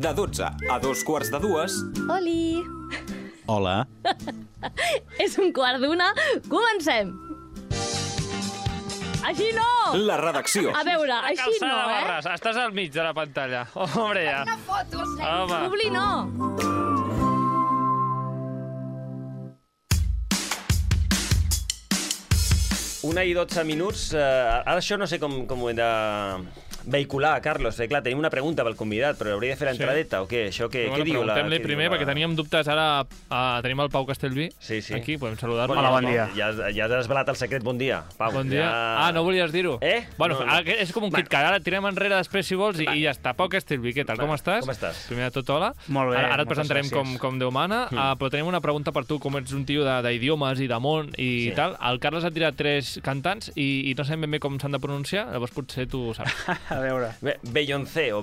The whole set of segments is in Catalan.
De 12 a 2:45. Oli! Hola. És 1:15, comencem! Així no! La redacció. A veure, així no, Calçada, eh? Barres, estàs al mig de la pantalla. Hombre, ja. Una foto, Home. Publi no! Una i 12 minuts. Ara això no sé com ho hem de vehicular, Carlos. Clar, tenim una pregunta pel convidat, però hauria de fer l'entradeta o què? Això què diu la... Preguntem-li primer, perquè teníem dubtes. Ara tenim el Pau Castellví aquí, podem saludar-lo. Hola, bon dia. Ja has desvelat el secret. Bon dia, Pau. Bon dia. Ja... No volies dir-ho? Bueno, No. és com un KitKat. Ara tirem enrere després, si vols, i ja està. Pau Castellví, què tal? Com estàs? Com estàs? Primer de tot, hola. Molt bé, Ara et moltes presentarem gràcies. com Déu mana, però tenim una pregunta per tu, com ets un tio d'idiomes i de món i tal. El Carles ha tirat 3 cantants i no sabem ben bé com s'han de pronunciar, llavors potser tu ho saps. A veure. Beyoncé o...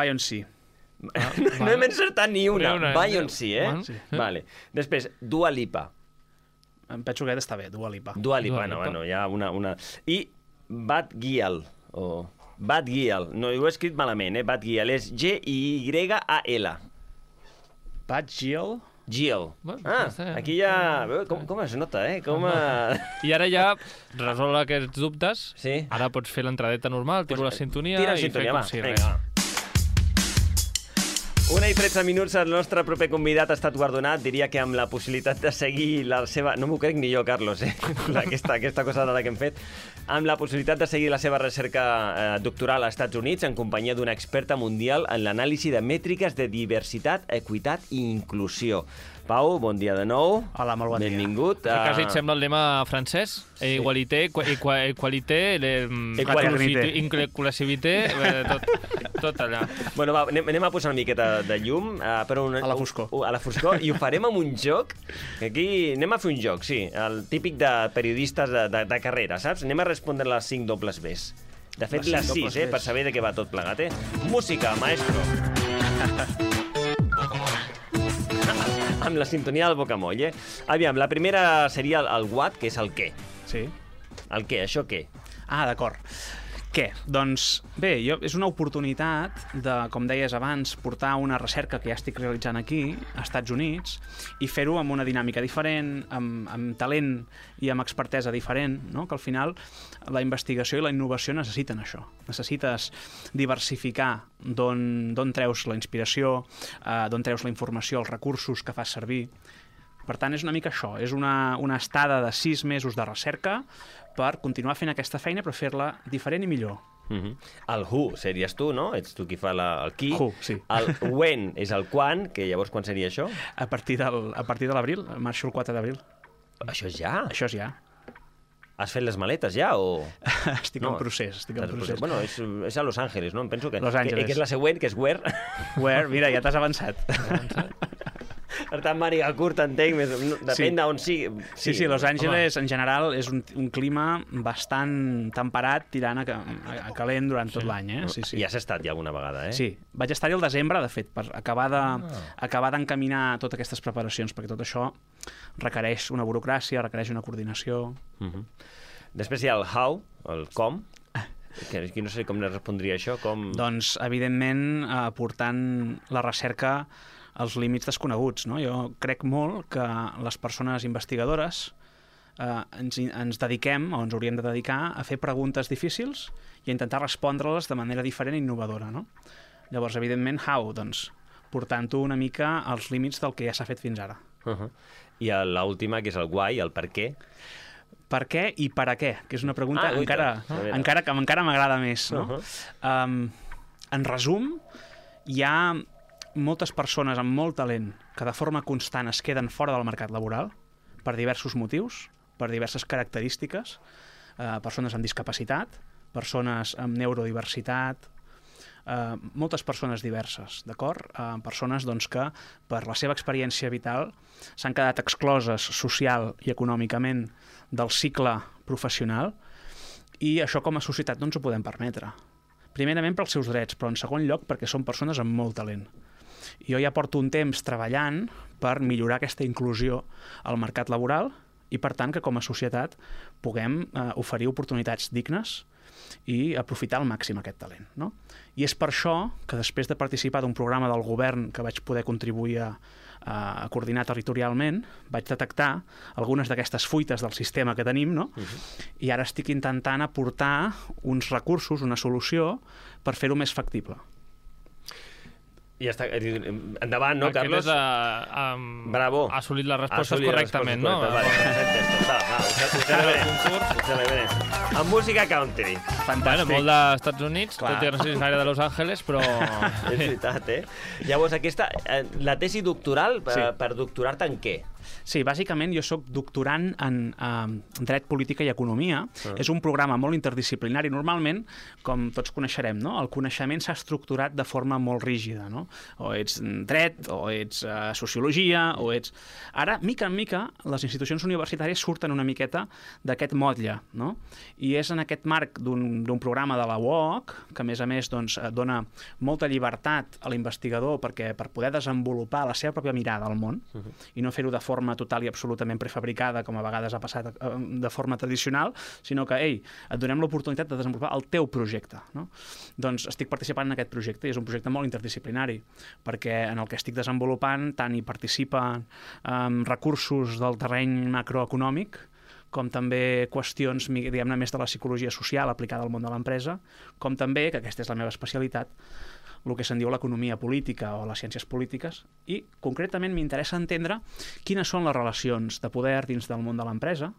Beyoncé. No hem encertat ni una. Ni una, Beyoncé, Bueno, sí. Vale. Després, Dua Lipa. Em penso que aquest està bé, Dua Lipa. Dua Lipa, Dua Lipa. bueno, hi ha una... I Bad Gyal, o... Bad Gyal. No, ho he escrit malament, Bad Gyal. És G-Y-A-L. Bad Gyal. Gyal. Bueno, Ah, està bé. aquí ja... Com es nota, Com a... I ara ja resol aquests dubtes. Sí. Ara pots fer l'entradeta normal, tiro la sintonia Tira la i sintonia, fer va. com si Vinga, res. va. 1:13 minuts, el nostre proper convidat ha estat guardonat, diria que amb la possibilitat de seguir la seva... No m'ho crec ni jo, Carlos, aquesta cosa rara que hem fet. Amb la possibilitat de seguir la seva recerca doctoral als Estats Units en companyia d'una experta mundial en l'anàlisi de mètriques de diversitat, equitat i inclusió. Pau, bon dia de nou. Hola, molt bon dia. Benvingut. Quasi et sembla el lema francès. Igualité, equalité, inclusivité, tot allà. Bueno, va, anem a posar una miqueta de llum. Però A la foscor. A la foscor, i ho farem amb un joc. Aquí anem a fer un joc, sí. El típic de periodistes de carrera, saps? Anem a respondre les 5 dobles Bs. De fet, les 6, per saber de què va tot plegat, Música, maestro. Amb la sintonia del bocamoll, Aviam, la primera seria el what, que és el què. Sí. El què, això què? Ah, d'acord. Què? Doncs bé, és una oportunitat de, com deies abans, portar una recerca que ja estic realitzant aquí, als Estats Units, i fer-ho amb una dinàmica diferent, amb talent i amb expertesa diferent, no? Que al final la investigació i la innovació necessiten això. Necessites diversificar d'on treus la inspiració, d'on treus la informació, els recursos que fas servir. Per tant, és una mica això, és una estada de 6 mesos de recerca per continuar fent aquesta feina, però fer-la diferent i millor. El who series tu, no? Ets tu qui fa el qui. Who, sí. El when és el quan, que llavors quan seria això? A partir de l'abril, marxo el 4 d'abril. Això és ja? Això és ja. Has fet les maletes ja o...? Estic en procés. Bueno, és a Los Angeles, no? Em penso que... Los Angeles. Que és la següent, que és where. Where? Mira, ja t'has avançat. Per tant, màniga curta, entenc, depèn d'on sigui. Sí, Los Angeles, en general, és un clima bastant temperat, tirant a calent durant tot l'any, Sí. I has estat ja alguna vegada, Sí, vaig estar-hi al desembre, de fet, per acabar d'encaminar totes aquestes preparacions, perquè tot això requereix una burocràcia, requereix una coordinació. Després hi ha el how, el com, que no sé com ne respondria això, com... Doncs, evidentment, portant la recerca als límits desconeguts, no? Jo crec molt que les persones investigadores ens dediquem, o ens hauríem de dedicar, a fer preguntes difícils i a intentar respondre-les de manera diferent i innovadora, no? Llavors, evidentment, how? Doncs portant-ho una mica als límits del que ja s'ha fet fins ara. I l'última, que és el why, el per què. Per què i per a què? Que és una pregunta que encara m'agrada més, no? En resum, hi ha moltes persones amb molt talent que de forma constant es queden fora del mercat laboral per diversos motius, per diverses característiques, persones amb discapacitat, persones amb neurodiversitat, moltes persones diverses, d'acord? Persones doncs, que per la seva experiència vital s'han quedat excloses social i econòmicament del cicle professional i això com a societat no ens ho podem permetre. Primerament pels seus drets, però en segon lloc perquè són persones amb molt talent. Jo ja porto un temps treballant per millorar aquesta inclusió al mercat laboral i, per tant, que com a societat puguem oferir oportunitats dignes i aprofitar al màxim aquest talent, no? I és per això que després de participar d'un programa del govern que vaig poder contribuir a coordinar territorialment, vaig detectar algunes d'aquestes fuites del sistema que tenim, no? I ara estic intentant aportar uns recursos, una solució, per fer-ho més factible. Ja està. Endavant, no, Carlos? Bravo. Ha assolit les respostes correctament, no? Vale, ho celebrem. Amb música country. Fantàstic. Bueno, molt d'Estats Units, Clar. tot i que no sé si és gaire de Los Angeles, però... És veritat, eh? Llavors, la tesi doctoral, Sí. per doctorar-te en què? Sí, bàsicament jo sóc doctorant en Dret, Política i Economia. És un programa molt interdisciplinari. Normalment, com tots coneixerem, no? El coneixement s'ha estructurat de forma molt rígida, no? O ets dret, o ets sociologia, o ets... Ara, mica en mica, les institucions universitàries surten una miqueta d'aquest motlle, no? I és en aquest marc d'un programa de la UOC, que a més doncs, dona molta llibertat a l'investigador per poder desenvolupar la seva pròpia mirada al món i no fer-ho de forma total i absolutament prefabricada, com a vegades ha passat de forma tradicional, sinó que, ei, et donem l'oportunitat de desenvolupar el teu projecte, no? Doncs estic participant en aquest projecte i és un projecte molt interdisciplinari, perquè en el que estic desenvolupant tant hi participen recursos del terreny macroeconòmic, com també qüestions, diguem-ne, més de la psicologia social aplicada al món de l'empresa, com també, que aquesta és la meva especialitat, el que se'n diu l'economia política o les ciències polítiques, i concretament m'interessa entendre quines són les relacions de poder dins del món de l'empresa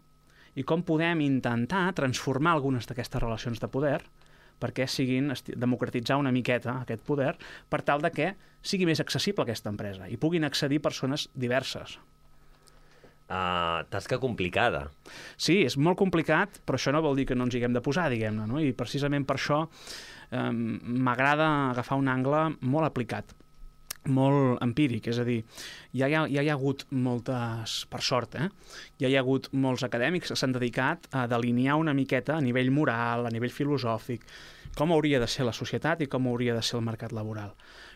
i com podem intentar transformar algunes d'aquestes relacions de poder perquè siguin democratitzar una miqueta aquest poder per tal de que sigui més accessible aquesta empresa i puguin accedir persones diverses. Tasca complicada. Sí, és molt complicat, però això no vol dir que no ens hi haguem de posar, diguem-ne, no? I precisament per això m'agrada agafar un angle molt aplicat, molt empíric, és a dir, ja hi ha hagut moltes, per sort, ja hi ha hagut molts acadèmics que s'han dedicat a delinear una miqueta a nivell moral, a nivell filosòfic, com hauria de ser la societat i com hauria de ser el mercat laboral.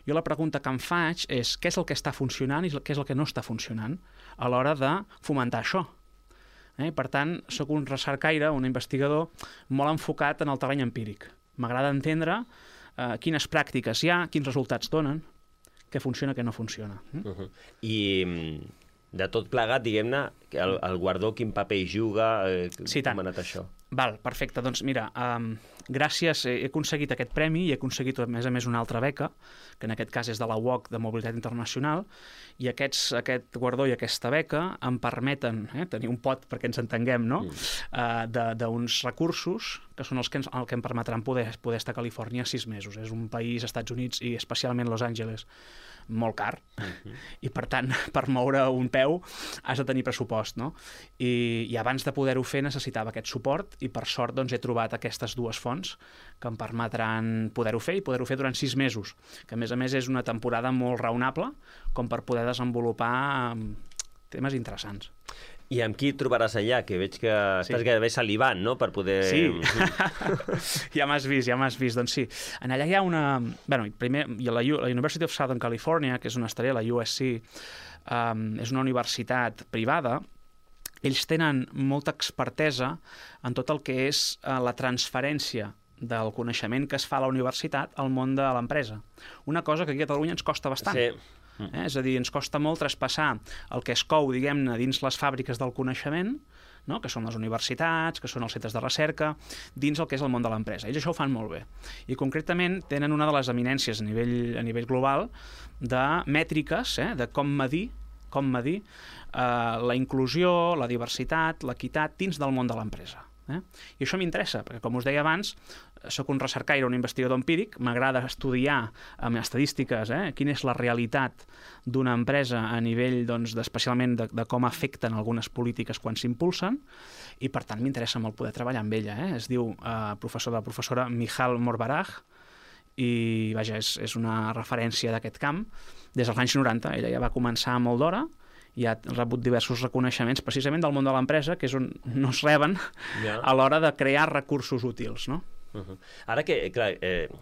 Jo la pregunta que em faig és què és el que està funcionant i què és el que no està funcionant a l'hora de fomentar això. Per tant, sóc un recercaire, un investigador molt enfocat en el terreny empíric. M'agrada entendre quines pràctiques hi ha, quins resultats donen, què funciona, què no funciona. I de tot plegat, diguem-ne, el guardó quin paper hi juga, Sí, tant. com ha anat això? Val, perfecte. Doncs mira, gràcies, he aconseguit aquest premi i he aconseguit, a més, una altra beca, que en aquest cas és de la UOC de Mobilitat Internacional, i aquest guardó i aquesta beca em permeten tenir un pot, perquè ens entenguem, no? D'uns recursos que són el que em permetran poder estar a Califòrnia 6 mesos. És un país, Estats Units i especialment Los Angeles, molt car, i per tant, per moure un peu has de tenir pressupost, no? I abans de poder-ho fer necessitava aquest suport i per sort doncs he trobat aquestes dues fonts que em permetran poder-ho fer i poder-ho fer durant 6 mesos, que a més és una temporada molt raonable com per poder desenvolupar temes interessants. I amb qui et trobaràs allà? Que veig que estàs gairebé salivant, no?, per poder... Sí, ja m'has vist. Doncs sí, en allà hi ha una... Bueno, primer, la University of Southern California, que és una estrella, la USC, és una universitat privada. Ells tenen molta expertesa en tot el que és la transferència del coneixement que es fa a la universitat al món de l'empresa. Una cosa que aquí a Catalunya ens costa bastant. Sí. És a dir, ens costa molt traspassar el que es cou, diguem-ne, dins les fàbriques del coneixement, no? Que són les universitats, que són els centres de recerca, dins el que és el món de l'empresa. Ells això ho fan molt bé. I concretament tenen una de les eminències a nivell global de mètriques, de com medir la inclusió, la diversitat, l'equitat dins del món de l'empresa. I això m'interessa, perquè com us deia abans, soc un recercaire, un investigador empíric, m'agrada estudiar amb estadístiques quina és la realitat d'una empresa a nivell, doncs, especialment de com afecten algunes polítiques quan s'impulsen, i per tant m'interessa molt poder treballar amb ella. Es diu la professora Michal Morbaraj, i vaja, és una referència d'aquest camp des dels anys 90. Ella ja va començar molt d'hora i ha rebut diversos reconeixements precisament del món de l'empresa, que és on no es reben a l'hora de crear recursos útils, no? Ara que, clar,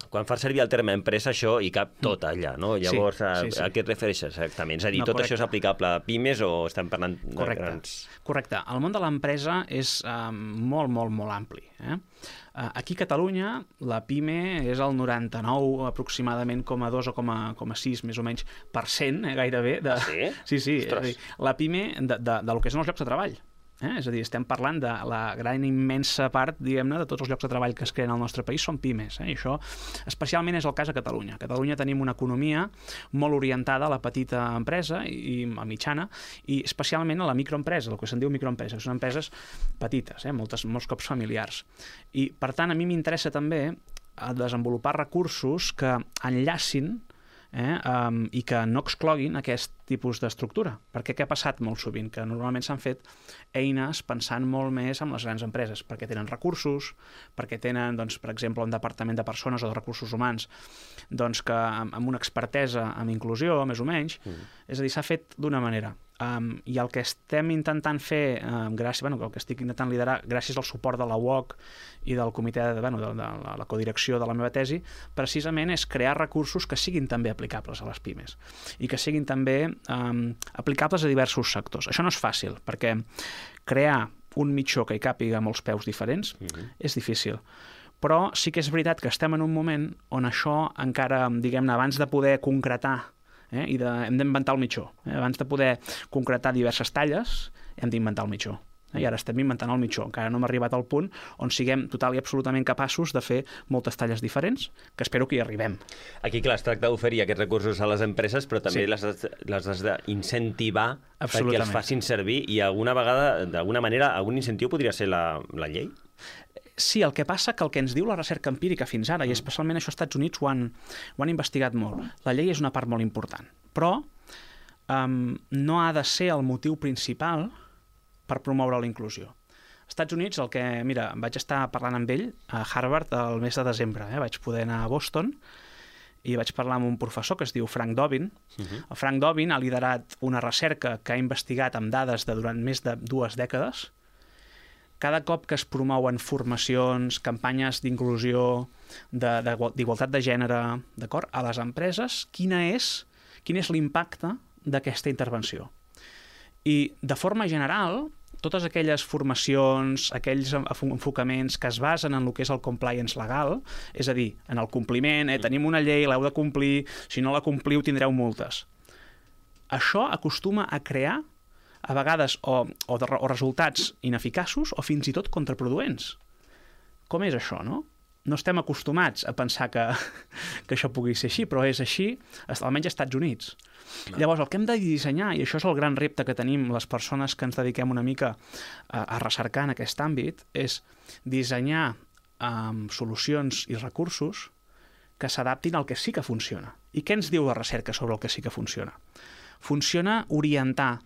quan fas servir el terme empresa, això hi cap tot allà, no? Llavors, sí. a què et refereixes exactament? És a dir, No, tot correcte. això és aplicable a pimes o estem parlant de grans... Correcte. El món de l'empresa és molt, molt, molt ampli. Aquí a Catalunya la PIME és el 99 aproximadament, 2 o 6 més o menys % gairebé. Sí? Sí. És Ostres. a dir, la PIME de lo que són els llocs de treball. És a dir, estem parlant de la gran immensa part, diguem-ne, de tots els llocs de treball que es creen al nostre país són pimes. I això especialment és el cas a Catalunya. A Catalunya tenim una economia molt orientada a la petita empresa i a mitjana, i especialment a la microempresa, el que se'n diu microempresa, que són empreses petites, molts cops familiars. I, per tant, a mi m'interessa també desenvolupar recursos que enllacin i que no excloguin aquest tipus d'estructura. Perquè què ha passat molt sovint? Que normalment s'han fet eines pensant molt més en les grans empreses, perquè tenen recursos, perquè tenen, doncs, per exemple, un departament de persones o de recursos humans doncs, que amb una expertesa en inclusió, més o menys, és a dir, s'ha fet d'una manera. I el que estem intentant fer, el que estic intentant liderar gràcies al suport de la UOC i del comitè de la codirecció de la meva tesi, precisament és crear recursos que siguin també aplicables a les pimes i que siguin també aplicables a diversos sectors. Això no és fàcil, perquè crear un mitjó que hi càpiga molts peus diferents és difícil. Però sí que és veritat que estem en un moment on això encara, diguem-ne, abans de poder concretar hem d'inventar el mitjó. Abans de poder concretar diverses talles, hem d'inventar el mitjó. I ara estem inventant el mitjó. Encara no hem arribat al punt on siguem total i absolutament capaços de fer moltes talles diferents, que espero que hi arribem. Aquí, clar, es tracta d'oferir aquests recursos a les empreses, però també les has d'incentivar perquè els facin servir, i alguna vegada, d'alguna manera, algun incentiu podria ser la llei? Sí, el que passa que el que ens diu la recerca empírica fins ara, i especialment això als Estats Units ho han investigat molt, la llei és una part molt important, però no ha de ser el motiu principal per promoure la inclusió. Als Estats Units, mira, vaig estar parlant amb ell a Harvard el mes de desembre, vaig poder anar a Boston i vaig parlar amb un professor que es diu Frank Dobbin. El Frank Dobbin ha liderat una recerca que ha investigat amb dades durant més de 2 dècades. Cada cop que es promouen formacions, campanyes d'inclusió, d'igualtat de gènere, d'acord, a les empreses, quin és l'impacte d'aquesta intervenció? I, de forma general, totes aquelles formacions, aquells enfocaments que es basen en el que és el compliance legal, és a dir, en el compliment, tenim una llei, l'heu de complir, si no la compliu tindreu multes. Això acostuma a crear a vegades o resultats ineficaços o fins i tot contraproduents. Com és això, no? No estem acostumats a pensar que això pugui ser així, però és així, almenys als Estats Units. Llavors, el que hem de dissenyar, i això és el gran repte que tenim les persones que ens dediquem una mica a recercar en aquest àmbit, és dissenyar solucions i recursos que s'adaptin al que sí que funciona. I què ens diu la recerca sobre el que sí que funciona? Funciona orientar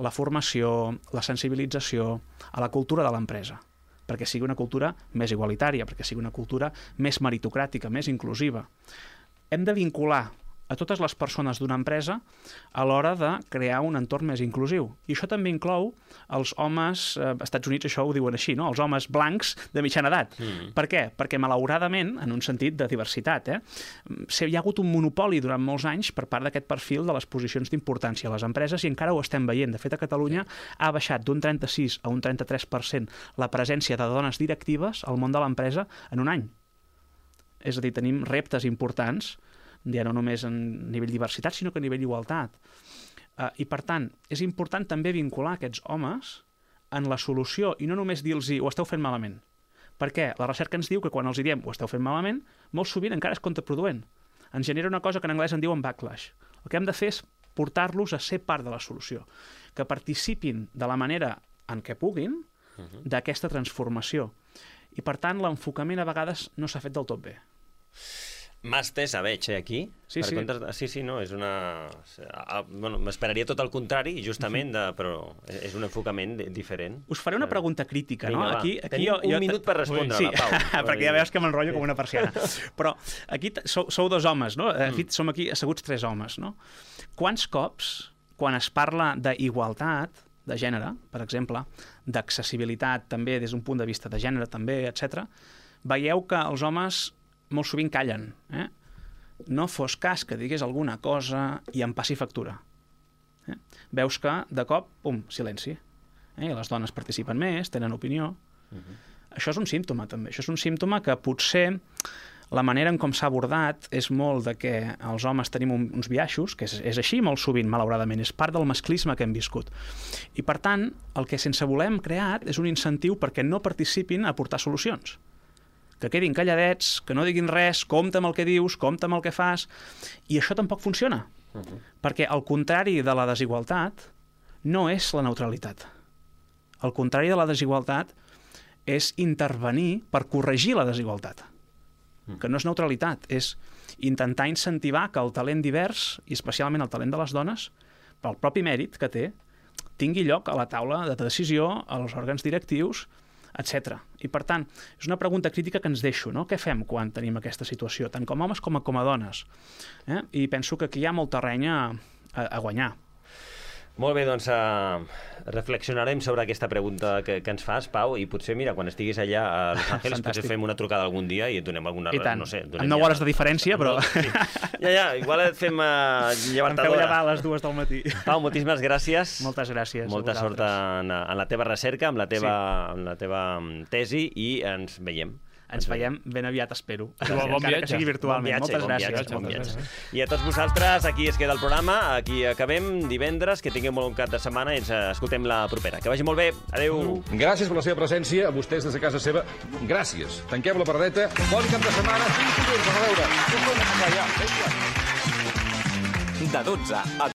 la formació, la sensibilització a la cultura de l'empresa, perquè sigui una cultura més igualitària, perquè sigui una cultura més meritocràtica, més inclusiva. Hem de vincular a totes les persones d'una empresa a l'hora de crear un entorn més inclusiu. I això també inclou els homes, als Estats Units això ho diuen així, no? Els homes blancs de mitjana edat. Per què? Perquè, malauradament, en un sentit de diversitat, hi ha hagut un monopoli durant molts anys per part d'aquest perfil de les posicions d'importància a les empreses i encara ho estem veient. De fet, a Catalunya ha baixat d'un 36 a un 33% la presència de dones directives al món de l'empresa en un any. És a dir, tenim reptes importants ja no només a nivell diversitat, sinó que a nivell igualtat. I, per tant, és important també vincular aquests homes en la solució i no només dir-los ho esteu fent malament. Per què? La recerca ens diu que quan els diem ho esteu fent malament, molt sovint encara és contraproduent. Ens genera una cosa que en anglès en diuen backlash. El que hem de fer és portar-los a ser part de la solució, que participin de la manera en què puguin d'aquesta transformació. I, per tant, l'enfocament a vegades no s'ha fet del tot bé. Mà estesa veig, aquí. Sí. Sí, no, és una... Bueno, m'esperaria tot el contrari, justament, però és un enfocament diferent. Us faré una pregunta crítica, no? Aquí tenim un minut per respondre-la, Pau. Sí, perquè ja veus que m'enrotllo com una persiana. Però aquí sou 2 homes, no? De fet, som aquí asseguts 3 homes, no? Quants cops, quan es parla d'igualtat de gènere, per exemple, d'accessibilitat també des d'un punt de vista de gènere també, etc., veieu que els homes molt sovint callen. No fos cas que digués alguna cosa i em passi factura. Veus que, de cop, pum, silenci. I les dones participen més, tenen opinió. Això és un símptoma, també. Això és un símptoma que potser la manera en com s'ha abordat és molt de que els homes tenim uns biaixos, que és així molt sovint, malauradament, és part del masclisme que hem viscut. I, per tant, el que sense voler hem creat és un incentiu perquè no participin a aportar solucions. Que quedin calladets, que no diguin res, compta amb el que dius, compta amb el que fas, i això tampoc funciona. Perquè el contrari de la desigualtat no és la neutralitat. El contrari de la desigualtat és intervenir per corregir la desigualtat. Que no és neutralitat, és intentar incentivar que el talent divers, i especialment el talent de les dones, pel propi mèrit que té, tingui lloc a la taula de decisió, als òrgans directius, etc. I, per tant, és una pregunta crítica que ens deixo, no? Què fem quan tenim aquesta situació, tant com homes com a dones? I penso que aquí hi ha molt terreny a guanyar. Molt bé, doncs reflexionarem sobre aquesta pregunta que ens fas, Pau, i potser, mira, quan estiguis allà a Los Angeles, potser fem una trucada algun dia i et donem alguna... I tant, no sé, amb 9 hores de diferència, però... Sí. Ja, igual et fem llevantar Em feu d'hora. llevar a les 2 del matí. Pau, moltíssimes gràcies. Moltes gràcies. Molta sort en la teva recerca, amb la teva tesi, i ens veiem. Ens veiem ben aviat, espero. Bon Encara que viatge. sigui virtualment. Moltes gràcies. Bon viatge. I a tots vosaltres, aquí es queda el programa, aquí acabem divendres, que tingueu molt bon cap de setmana i ens escoltem la propera. Que vagi molt bé. Adéu. Gràcies per la seva presència, a vostès des de casa seva. Gràcies. Tanquem la paradeta. Bon cap de setmana. Fins dilluns. A veure. De 12 a